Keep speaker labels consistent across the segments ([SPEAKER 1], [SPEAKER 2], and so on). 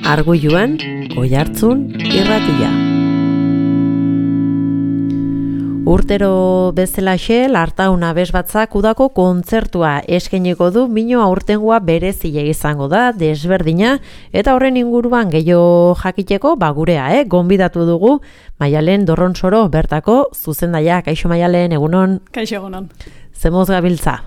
[SPEAKER 1] Arguiluan, Oihartzun irratia. Urtero bezalaxe, Lartaun abes batzak udako kontzertua eskainiko du, mino aurtengoa berezia izango da, desberdina, eta horren inguruan gehiago jakiteko, gurea, gonbidatu dugu, Maialen Dorronsoro bertako zuzendaia. Kaixo Maialen, egunon?
[SPEAKER 2] Kaixo egunon.
[SPEAKER 1] Zemoz gabiltza?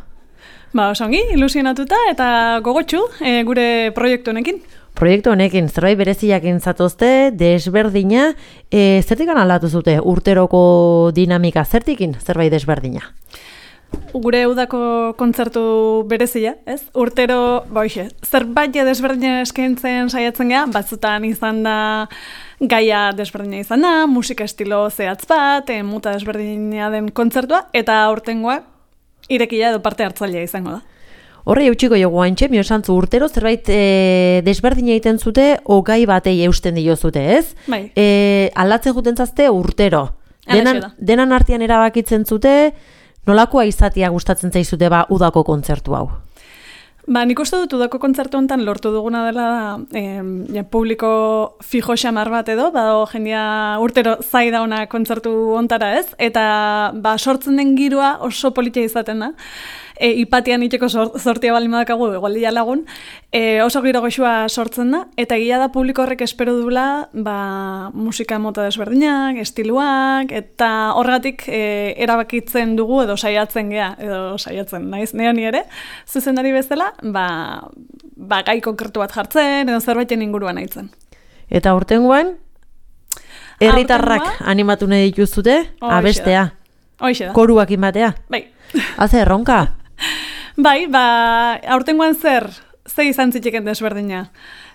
[SPEAKER 2] Osongi, ilusionatuta eta gogotsu gure proiektu honekin.
[SPEAKER 1] Proiektu honekin, zerbait bereziak intzatozte, desberdina, zertikan aldatu zute urteroko dinamika, zertikin zerbait desberdina?
[SPEAKER 2] Gure udako kontzertu berezia, ez? Urtero, zerbait desberdina eskaintzen saiatzen gea, batzutan izan da gaia desberdina izan da, musika estilo zehatz bat, muta desberdina den kontzertua, eta aurtengoa irekia edo parte hartzailea izango da.
[SPEAKER 1] Horre eutxiko jogu haintxe, miosantzu urtero zerbait desberdina egiten zute, gai batei eusten dio zute, ez?
[SPEAKER 2] Bai.
[SPEAKER 1] Aldatzen juten zazte urtero. Denan artean erabakitzen zute, nolakoa izatea gustatzen zaizute udako kontzertu hau?
[SPEAKER 2] Nik uste dut udako kontzertu honetan lortu duguna dela publiko fijo xamar bat edo, jendia urtero zai dauna kontzertu hontara, ez? Eta sortzen den giroa oso politia izaten da. Ipatian itxeko sortia bali madakagu, egualdia lagun, oso giro goxua sortzen da, eta egia da publiko horrek espero dula musika mota desberdinak, estiluak, eta horregatik erabakitzen dugu edo saiatzen gea, edo saiatzen, naiz neoni ere, zuzendari bezala, gai konkretu bat jartzen, edo zerbaiten inguruan aitzen.
[SPEAKER 1] Eta urtengoan, herritarrak animatu nahi dituzute, abestea, koruak inbatea?
[SPEAKER 2] Bai.
[SPEAKER 1] Haze erronka?
[SPEAKER 2] Bai, aurtengoan ze izan zitekeen desberdina.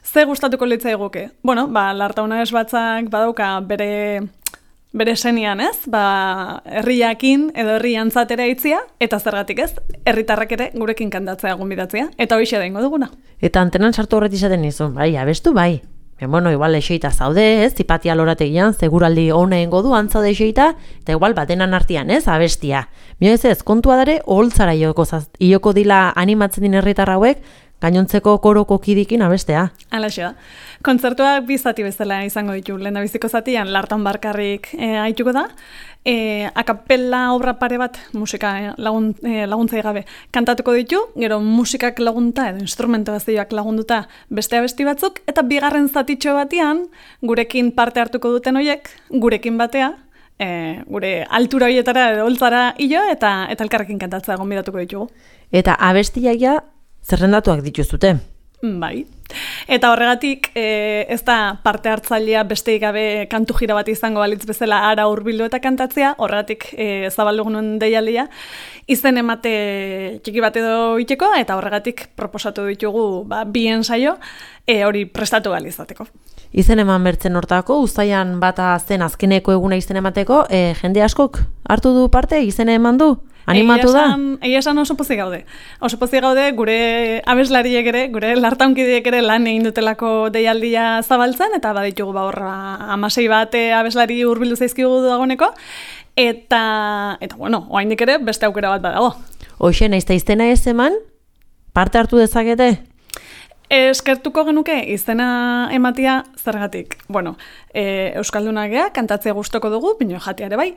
[SPEAKER 2] Ze gustatuko litzaiguke. Lartauna ez batzak badauka bere senian, ez? Herriakin edo herri antzatera itzia, eta zergatik ez, herritarrak ere gurekin kantatzea gonbidatzea, eta hoixe da ingo duguna.
[SPEAKER 1] Eta antenan sartu horret izaten nizun, abestu bai. Igual eseita zaude, ez, zipatia lorategian, seguraldi hone du antzaude eseita, eta igual batenan artean, ez, abestia. Ez, kontua dare, oholtzara ioko dila animatzen din herritar hauek, gainontzeko koroko kidikin abestea.
[SPEAKER 2] Alaxe da. Kontzertuak bi zati bezala izango ditu. Lehendabiziko zatian, Lartaun barkarrik haituko da. Akapella obra pare bat, musika laguntzai gabe, kantatuko ditu, gero musikak lagunta edo instrumentazioak lagunduta beste abesti batzuk, eta bigarren zatitxo batean, gurekin parte hartuko duten horiek, gurekin batea, gure altura horietara edo holtzara hilo, eta elkarrekin kantatzea gonbidatuko ditugu.
[SPEAKER 1] Eta abestiaia zerrendatuak dituzute?
[SPEAKER 2] Bai. Eta horregatik ez da parte hartzailea besteik gabe kantu jira bat izango balitz bezala ara hurbildu eta kantatzea, horregatik zabaldugunuen deialdia, izen emate txiki bat edo iteko, eta horregatik proposatu ditugu bi ensaio hori prestatu balizateko.
[SPEAKER 1] Izen eman bertzen hortako, uztaian bata zen azkeneko eguna izen emateko, jende askok hartu du parte, izen eman du? Animatu da?
[SPEAKER 2] Egia esan oso pozik gaude. Oso pozik gaude gure abeslariek ere, gure lartaunkideek ere lan egin dutelako deialdia zabaltzen, eta baditugu horra 16 bat abeslari hurbildu zaizkigu dagoeneko, eta oraindik ere beste aukera bat badago. Hoxe,
[SPEAKER 1] naizta izena ez eman, parte hartu dezakete?
[SPEAKER 2] Eskertuko genuke izena ematia zergatik. Euskaldunak gea, kantatzea gustoko dugu, pino jatea ere bai.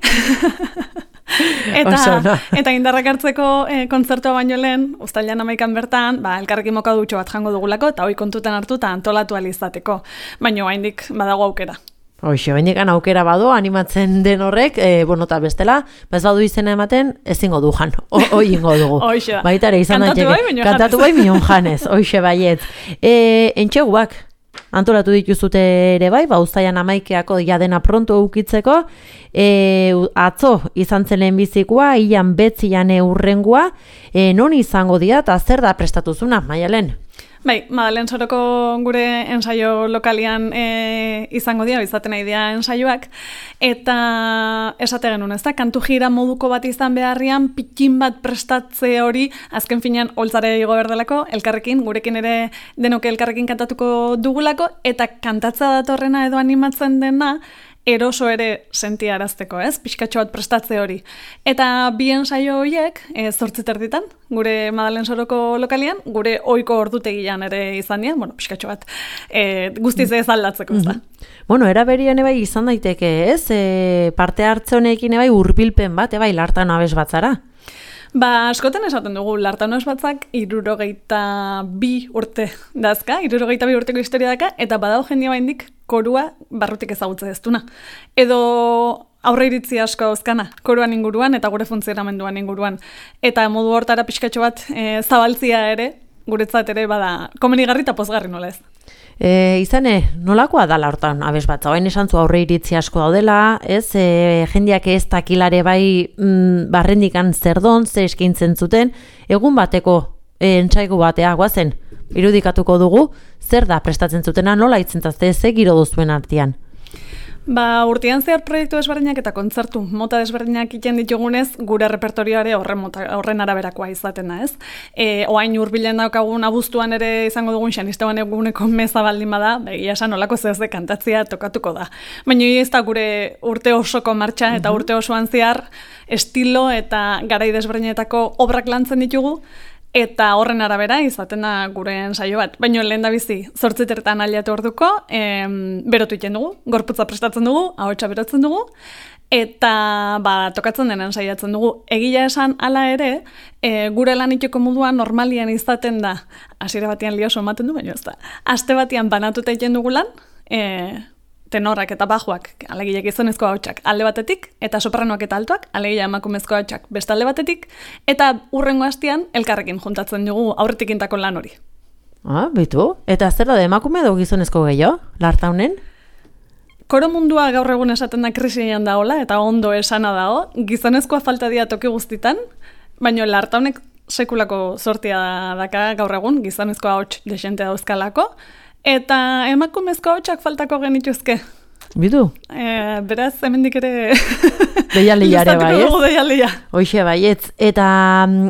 [SPEAKER 2] Eta indarrak hartzeko kontzertua baino lehen, uztailean 11 bertan, elkarrekin mokadutxo bat jango dugulako, eta hoi kontutan hartu eta antolatu alizateko. Baina oraindik badago aukera.
[SPEAKER 1] Hoxe, bainikan aukera bado, animatzen den horrek, eta bestela, ez badu izena ematen, ezingo du jan, hoi ingo dugu.
[SPEAKER 2] Hoxe da.
[SPEAKER 1] Baitare izan daiteke. Kantatu bai minon janez, hoxe baiet. Entxeguak, antolatu dituzute ere bai, uztaian 11 jadena pronto ukitzeko, atzo izan zen lehenbizikoa, ilan betzian urrengua, non izango dira, eta zer da prestatuzuna, Maialen?
[SPEAKER 2] Bai, Madalen Soroko gure ensaio lokalian izango dira, izaten nahi dira ensaioak, eta esate genuen, ez da, kantu jira moduko bat izan beharrian, pikin bat prestatze hori, azken finean holtzare igo berdelako, elkarrekin, gurekin ere denoke elkarrekin kantatuko dugulako, eta kantatza datorrena edo animatzen dena, eroso ere sentiarazteko, ez? Pixkatxo bat prestatze hori. Eta bien saio horiek, 8:30, gure Madalen Soroko lokalian, gure ohiko ordutegian ere izan dira, bueno, pixkatxo bat guztiz ez aldatzeko, ez da.
[SPEAKER 1] Bueno, eraberian bai izan daiteke, ez? Parte hartze honekin bai hurbilpen bat, bai Lartaun abes batzara.
[SPEAKER 2] Ba, askotan esaten dugu, Lartaun abes batzak 62 urte dazka, 62 urteko historia daka, eta badao jendia baindik korua barrutik ezagutze ez duna. Edo aurre iritzi asko dauzkana, koruan inguruan eta gure funtzionamenduan inguruan. Eta modu hortara pixkatxo bat zabaltzia ere, guretzat ere bada komenigarri eta pozgarri nola ez.
[SPEAKER 1] Izane, nolakoa da Lartaun abes batza? Oain esan zu aurre iritzi asko daudela, ez? Jendiak ez dakilare bai barrendikan zerdon, ze eskaintzen zuten, egun bateko entsaigu batea guazen, irudikatuko dugu, zer da prestatzen zutena, nola itzentazte, ze giro duzuen artean?
[SPEAKER 2] Ba, urtean zehar proiektu desberdinak eta kontzertu mota desberdinak iten ditugunez, gure repertorioare horren araberakoa izaten da, ez? Oain hurbilen daukagun abuztuan ere izango dugun Xanisteban eguneko meza baldin bada, begia esan olako zehazde kantatzea tokatuko da. Baina ez da gure urte osoko martxa eta urte osoan zehar estilo eta garai desberdinetako obrak lantzen ditugu, eta horren arabera izaten da gure ensaio bat. Baina lehen da bizi, 8:00 aliatu orduko, berotu iten dugu, gorputza prestatzen dugu, ahotsa berotzen dugu, eta tokatzen denen saiatzen dugu. Egia esan hala ere, gure lan itxeko moduan normalian izaten da, hasiera batean lioso ematen du, baina ez da. Aste batean banatuta iten dugu lan, tenorak eta bajuak, alegia gizonezko ahotsak alde batetik, eta sopranoak eta altoak, alegia emakumezko ahotsak beste alde batetik, eta hurrengo astean elkarrekin juntatzen dugu aurretik intako lan hori.
[SPEAKER 1] Bitu. Eta zer da emakume edo gizonezko gehiago, Lartaunen?
[SPEAKER 2] Koro mundua gaur egun esaten da krisian daola, eta ondo esana dago, gizonezkoa falta dia toki guztitan, baina Lartaunek sekulako sortia daka gaur egun, gizonezko ahots desente dauzkalako, eta emakumezko ahotsak faltako genituzke.
[SPEAKER 1] Bidu?
[SPEAKER 2] Beraz, hemendik ere...
[SPEAKER 1] Deialiare bai, ez?
[SPEAKER 2] Deialia.
[SPEAKER 1] Hoixe baietz. Eta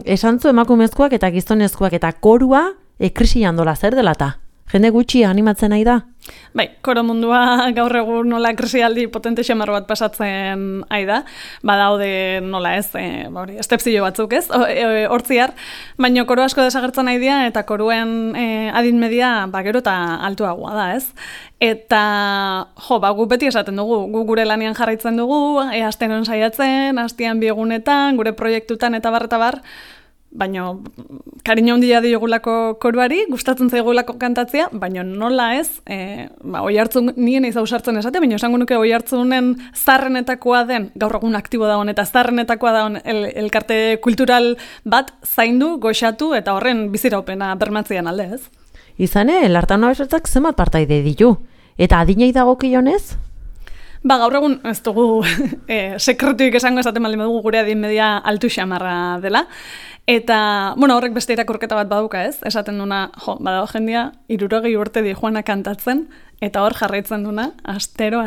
[SPEAKER 1] esantzu emakumezkoak eta gizonezkoak eta korua krisian dola zer dela ta? Jende gutxi animatzen nahi da?
[SPEAKER 2] Bai, koro mundua gaur egun nola krisialdi potente xamar bat pasatzen ai da, badaude nola ez, estepzio batzuk ez, hortziar, baina koro asko desagertzen nahi dira eta koruen adin media gero eta altuagoa da ez. Eta, gu beti esaten dugu, gu gure lanian jarraitzen dugu, astenon saiatzen, astean biegunetan, gure proiektutan eta bar, baina kariño handia diogulako koruari, gustatzen zaigulako kantatzea, baina nola ez, oi hartzun nien eiz ausartzen esate, baina esango nuke oi hartzunen zarrenetakoa den, gaur egun aktibo dagoen, eta zarrenetakoa dagoen elkarte kultural bat zaindu, goxatu, eta horren biziraupena bermatzean alde ez.
[SPEAKER 1] Izane, Lartaun abes batzak zenbat partaide ditu, eta adinei dagokionez?
[SPEAKER 2] Gaur egun ez dugu sekretuik esango esaten baldin dugu gure adin media altu xamarra dela. Eta, horrek beste irakurketa bat baduka ez, esaten duna, badago jendia, 60 urte di joana kantatzen, eta hor jarraitzen duna, astero,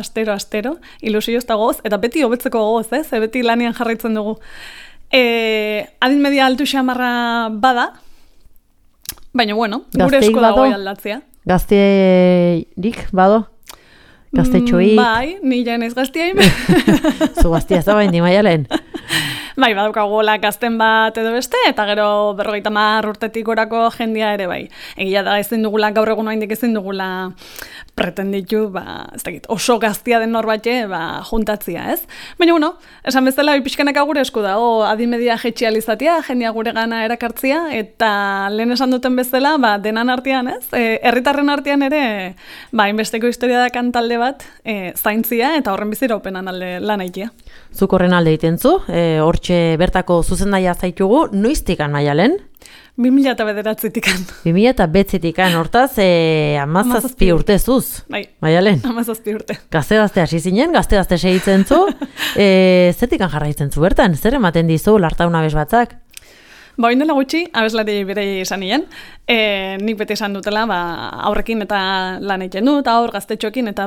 [SPEAKER 2] ilusioz eta gogoz, eta beti hobetzeko gogoz ez, beti lanian jarraitzen dugu. Adin media altu xamarra bada, baina gure esko dago aldatzea.
[SPEAKER 1] Gazterik bado? Gaztetxoik?
[SPEAKER 2] Bai, ni ja naiz gaztia ime.
[SPEAKER 1] Zu gaztia zabain di maialen.
[SPEAKER 2] Bai, badaukagola gazten bat edo beste, eta gero 50 urtetik gorako jendia ere bai. Egia da ezin dugula, gaur egun oraindik ezin dugula pretenditu, ez dakit, oso gaztia den norbait juntatzia, ez? Baina, esan bezala, pixkanaka gure esku da, adimedia jetxializatia, jendia gure gana erakartzia, eta lehen esan duten bezala, denan artean, ez? Herritarren artean ere, inbesteko historia da kantalde bat, zaintzia, eta horren biziraupenan alde lan aitia.
[SPEAKER 1] Zuk horren alde egiten zu, hortxe bertako zuzendaia zaitugu, noiztikan maialen?
[SPEAKER 2] 2009-tikan.
[SPEAKER 1] 2009-tikan, hortaz, 17 urte zuz.
[SPEAKER 2] Bai,
[SPEAKER 1] maialen?
[SPEAKER 2] 17 urte.
[SPEAKER 1] Gazte hasi zinen, gazte segitzen zu, zertikan jarraitzen zu bertan? Zer ematen dizu Lartaun abes batzak?
[SPEAKER 2] Oindela gutxi, abeslari berei esan nien, nik beti esan dutela, aurrekin eta lan egiten dut, aur gaztetxoekin eta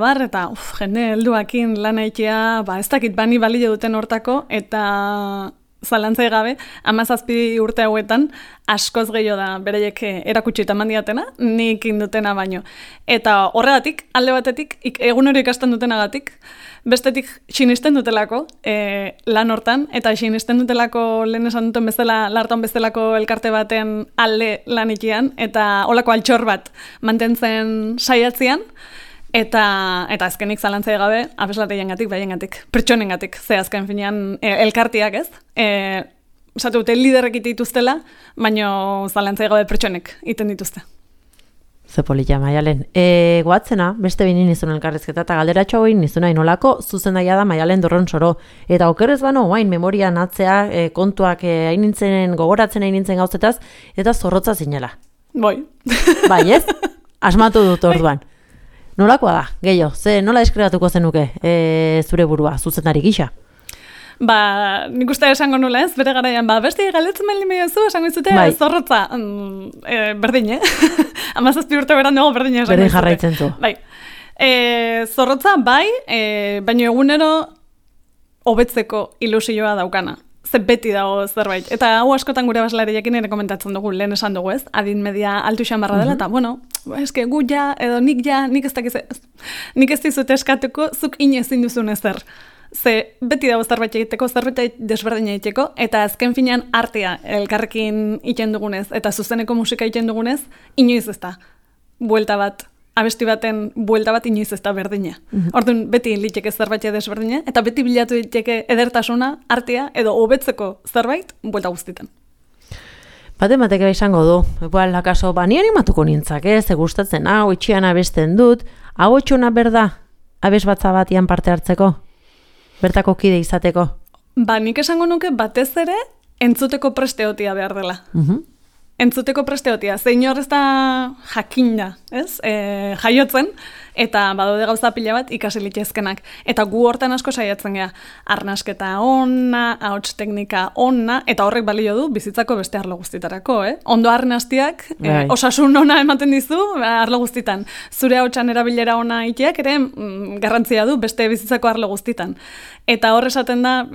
[SPEAKER 2] jende helduakin lan egitea, ez dakit bani balio duten hortako, eta zalantzai gabe, 17 urte hauetan, askoz gehiago da bereiek erakutsi eta mandiatena, nik indutena baino. Eta horregatik, alde batetik, egunero ikasten dutenagatik, bestetik sinisten dutelako lan hortan, eta sinisten dutelako lehen esan duten bezala, lartan bezalako elkarte baten alde lan ikian, eta olako altxor bat mantentzen saiatzean, eta azkenik zalantzai gabe, abeslareiengatik, baiengatik, pertsonengatik, ze azken finean elkartiak ez, esatu dute liderrek dituztela, baino zalantzai gabe pertsonek iten dituzte.
[SPEAKER 1] Zepolilla, Maialen. Goatzena, beste binin nizun elkarrezketa, eta galderatxo hori nizuna inolako zuzendaia da Maialen Dorronsoro. Eta okerrez bano, guain memorian atzea, kontuak gogoratzen nintzen gauzetaz, eta zorrotza zinela.
[SPEAKER 2] Boi.
[SPEAKER 1] Bai, ez? Asmatu dut orduan. Nolakoa da, gehiago, nola deskribatuko zenuke zure burua, zuzendari gisa?
[SPEAKER 2] Nik uste esango nula ez, bere garaian, beste galetzen meli meiozu, esango izute, zorrotza, berdin, 17 urte beran dugu berdin esango izute.
[SPEAKER 1] Berdin jarraitzen zu.
[SPEAKER 2] Bai. Zorrotza, bai, baina egunero hobetzeko ilusioa daukana. Ze beti dago zerbait. Eta hau askotan gure baslariakin ere komentatzen dugu, lehen esan dugu ez, adin media altu xamarra dela, eta bueno, eske gu ja, edo nik ez dizute eskatuko, zuk inezin duzun ezer. Ze beti dago zerbait egiteko, zerbait desberdina egiteko, eta azken finean artea elkarrekin iten dugunez, eta zuzeneko musika iten dugunez, inoiz ez da, buelta bat, abesti baten buelta bat inoiz ez da berdina. Orduan, beti liteke zerbait desberdina, eta beti bilatu diteke edertasuna, artea, edo hobetzeko zerbait, buelta guztitan.
[SPEAKER 1] Batek izango du, lakaso, ni animatuko nintzak, ze gustatzen, hau itxian abesten dut, hau etxuna berda, abes batza batian parte hartzeko? Bertako kide izateko?
[SPEAKER 2] Nik esango nuke batez ere entzuteko presteotia behar dela. Entzuteko presteotia. Zein horrez da jakinda, ez? Jaiotzen, eta badaude gauza pila bat ikasi litezkenak. Eta gu hortan asko saiatzen gea. Arnasketa ona, ahots teknika ona, eta horrek balio du bizitzako beste arlo guztitarako, Ondo arnastiak, osasun ona ematen dizu, arlo guztitan. Zure ahotsan erabilera ona iteak ere garrantzia du beste bizitzako arlo guztitan. Eta hor esaten da,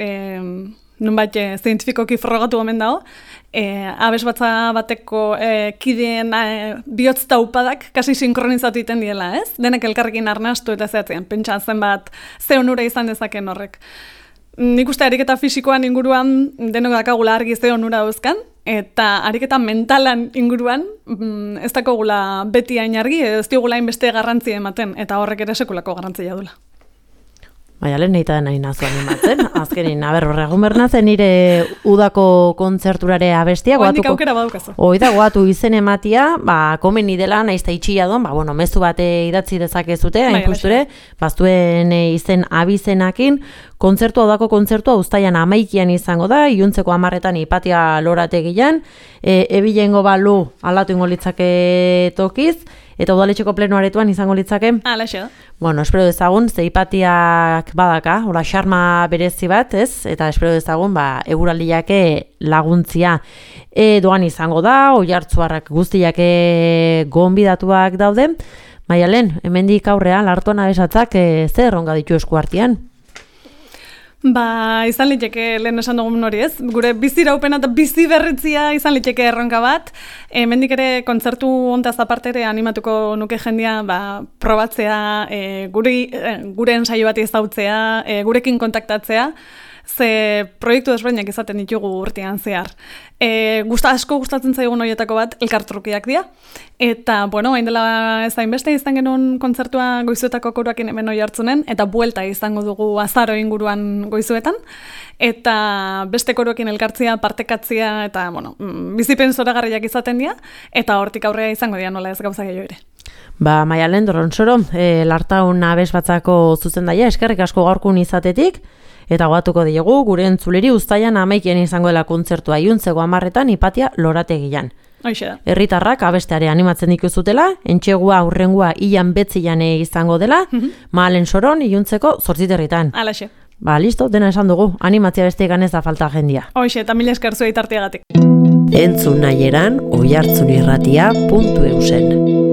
[SPEAKER 2] nunbait zientifikoki frogatu omen dago, abes bateko kideen bihotz taupadak kasi sinkronizatu iten diela, ez? Denek elkarrekin arnastu eta zehatzean, pentsa zenbat ze onura izan dezaken horrek. Nik uste ariketa fisikoan inguruan denok dakagula argi ze onura dauzkan, eta ariketa mentalan inguruan ez dakagula beti hain argi, ez digula hainbeste garrantzia ematen, eta horrek ere sekulako garrantzia dula.
[SPEAKER 1] Maialen neita nahi nazu animatzen, azkenin, horregun bernatzen nire udako kontzerturare abestia.
[SPEAKER 2] Oendik aukera badukazu.
[SPEAKER 1] Oida, goatu izen ematia, komeni dela, naizta itxia don, mezu bate idatzi dezakezute, hain justure, baztuen izen abizenakin, udako kontzertua uztaian 11 izango da, iluntzeko 10etan Hipatia lorategian, ebilengo balu aldatu ingo litzake tokiz, eta udaletxeko plenoaretuan izango litzake.
[SPEAKER 2] Alaxe da.
[SPEAKER 1] Bueno, espero dezagun, ze Hipatiak badaka, hola xarma berezi bat, ez? Eta espero dezagun, eguraldiake laguntzia. Doan izango da, oihartzuarrak guztiak gonbidatuak daude. Maialen, hemendik aurrean, lartuan abesatzak zer erronka ditu eskuartean?
[SPEAKER 2] Izan liteke lehen esan dugun hori ez, gure biziraupena eta bizi berritzia izan liteke erronka bat, hemendik ere kontzertu hontaz aparte ere animatuko nuke jendia probatzea, gure ensaio bat ezautzea, gurekin kontaktatzea, ze proiektu desberdinak izaten ditugu urtean zehar. Asko gustatzen zaigun horietako bat elkartrukiak dira. Eta, hain dela ez hainbeste izan genuen kontzertua goizuetako koruakin hemen Oiartzunen, eta buelta izango dugu azaro inguruan goizuetan. Eta beste koruakin elkartzia, partekatzia, eta, bizipen zoragarriak izaten dira, eta hortik aurrea izango dira nola ez gauza gehiago ere.
[SPEAKER 1] Maialen Dorronsoro, Lartaun abes batzako zuzendaia, eskerrik asko gaurkun izatetik, eta goatuko diegu, gure entzuleri uztaian 11 izango dela kontzertua iluntzeko 10etan Hipatia lorategian.
[SPEAKER 2] Hoixe da.
[SPEAKER 1] Herritarrak abesteare animatzen dituzutela, entxegua aurrengua ilan betzian izango dela, Malen Soron iluntzeko 8etan.
[SPEAKER 2] Alaxe.
[SPEAKER 1] Listo, dena esan dugu, animatzia besteegan ez da falta jendia.
[SPEAKER 2] Hoixe, eta mila esker zuei tarteagatik.
[SPEAKER 1] Entzun nahieran oihartzunirratia.eusen.